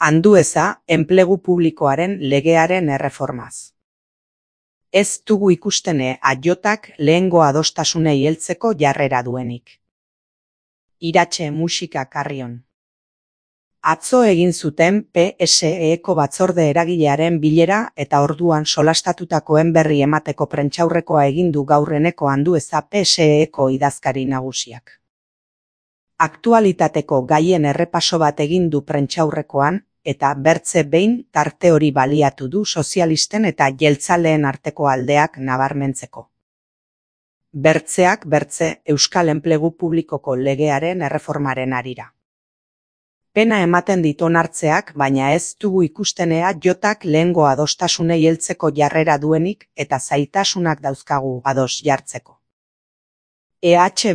Andueza, enplegu publikoaren legearen erreformaz. Ez dugu ikustene AJak lehengo adostasunei heltzeko jarrera duenik. Iratxe musika Carrion. Atzo egin zuten PSEko batzorde eragilearen bilera eta orduan solastatutakoen berri emateko prentsaurrekoa egin du gaurreneko Andueza PSEko idazkari nagusiak. Aktualitateko gaien errepaso bat egin du prentsaurrekoan, eta bertze behin tarte hori baliatu du sozialisten eta jeltzaleen arteko aldeak nabarmentzeko. Bertzeak bertze Euskal Enplegu Publikoko legearen erreformaren harira. Pena ematen dit onartzeak, baina ez dugu ikustenea AJak lehengo adostasunei heltzeko jarrera duenik eta zailtasunak dauzkagu ados jartzeko.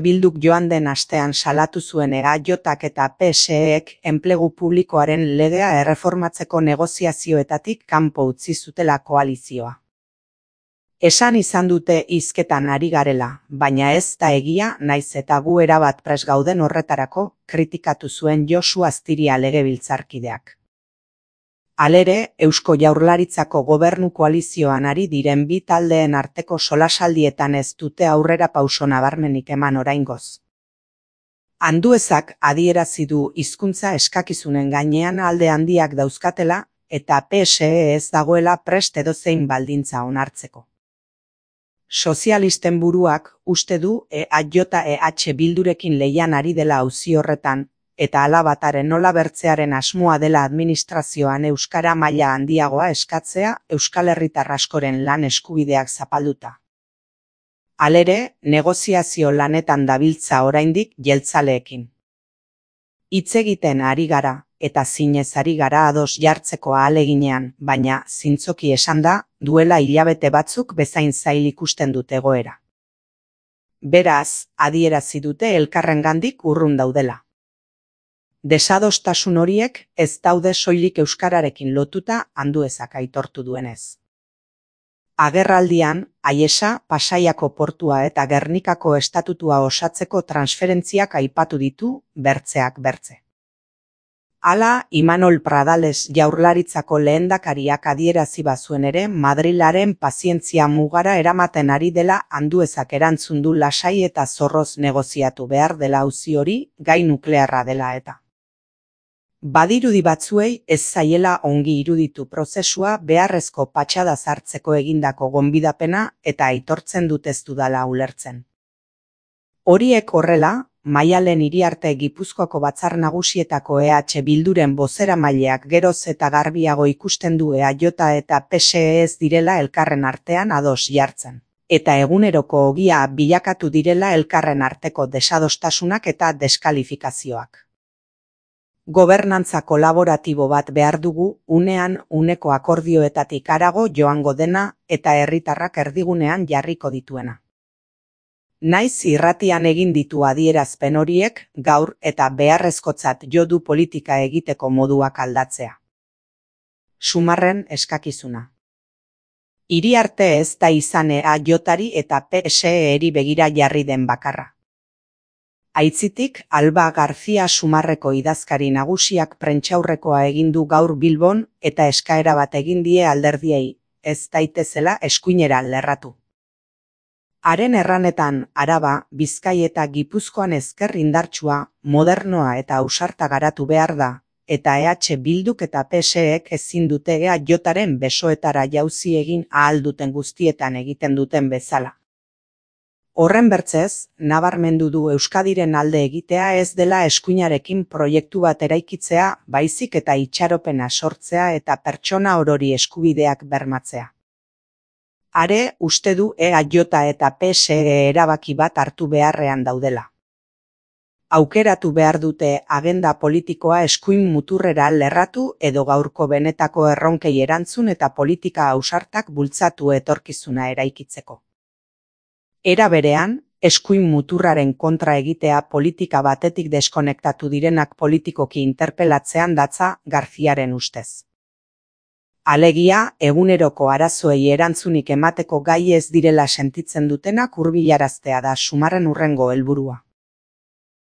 Bilduk joan den astean salatu zuen AJak eta PSEek enplegu publikoaren legea erreformatzeko negoziazioetatik kanpo utzi zutela koalizioa. Esan izan dute hizketan ari garela, baina ez da egia naiz eta gu erabat prest gauden horretarako, kritikatu zuen Josu Astiria legebiltzarkideak. Halere, Eusko Jaurlaritzako gobernu koalizioan ari diren bi taldeen arteko solasaldietan ez dute aurrera pauso nabarmenik eman oraingoz. Anduezak adierazi du hizkuntza eskakizunen gainean alde handiak dauzkatela eta PSE ez dagoela prest edozein baldintza onartzeko. Sozialisten buruak uste du AJ Bildurekin lehian ari dela auzi horretan, eta alabataren nola bertzearen asmoa dela administrazioan euskara maila handiagoa eskatzea Euskal Herritar askoren lan eskubideak zapalduta. Halere, negoziazio lanetan dabiltza oraindik jeltzaleekin. Hitz egiten ari gara, eta zinez ari gara ados jartzeko ahaleginean, baina zintzoki esanda, duela hilabete batzuk bezain zail ikusten dute egoera. Beraz, adierazi dute elkarrengandik urrun daudela. Desadostasun horiek ez daude soilik euskararekin lotuta Anduezak aitortu duenez. Agerraldian, Aiesa, Pasaiako portua eta Gernikako estatutua osatzeko transferentziak aipatu ditu, bertzeak bertze. Hala, Imanol Pradales Jaurlaritzako lehendakariak adierazi bazuen ere Madrilaren pazientzia mugara eramaten ari dela Anduezak erantzun du lasai eta zorroz negoziatu behar dela auzi hori, gai nuklearra dela eta. Badirudi batzuei ez zaiela ongi iruditu prozesua beharrezko patxada sartzeko egindako gonbidapena eta aitortzen dut ez dudala ulertzen. Horiek horrela, Maialen Iriarte Gipuzkoako Batzar Nagusietako Bilduren bozeramaileak geroz eta garbiago ikusten du AJ eta PSE ez direla elkarren artean ados jartzen, eta eguneroko ogia bilakatu direla elkarren arteko desadostasunak eta deskalifikazioak. Gobernantza kolaboratibo bat behar dugu, unean uneko akordioetatik harago joango dena eta herritarrak erdigunean jarriko dituena. Naiz irratian egin ditu adierazpen horiek, gaur eta beharrezkotzat jo du politika egiteko moduak aldatzea. Sumarren eskakizuna. Iriarte ez da izan AJari eta PSE-eri begira jarri den bakarra. Aitzitik, Alba Garzia Sumarreko idazkari nagusiak prentsaurrekoa egin du gaur Bilbon eta eskaera bat egin die alderdiei, ez daitezela eskuinera lerratu. Haren erranetan, Araba, Bizkai eta Gipuzkoan ezker indartsua, modernoa eta ausarta garatu behar da, eta Bilduk eta PSEek ezin dute AJaren besoetara jauzi egin ahal duten guztietan egiten duten bezala. Horren bertzez, nabarmendu du Euskadiren alde egitea ez dela eskuinarekin proiektu bat eraikitzea, baizik eta itxaropena sortzea eta pertsona orori eskubideak bermatzea. Are, uste du AJ eta PSE erabaki bat hartu beharrean daudela. Aukeratu behar dute agenda politikoa eskuin muturrera lerratu edo gaurko benetako erronkei erantzun eta politika ausartak bultzatu etorkizuna eraikitzeko. Era berean, eskuin muturraren kontra egitea politika batetik deskonektatu direnak politikoki interpelatzean datza Garziaren ustez. Alegia, eguneroko arazoei erantzunik emateko gai ez direla sentitzen dutenak hurbilaraztea da Sumarren hurrengo helburua.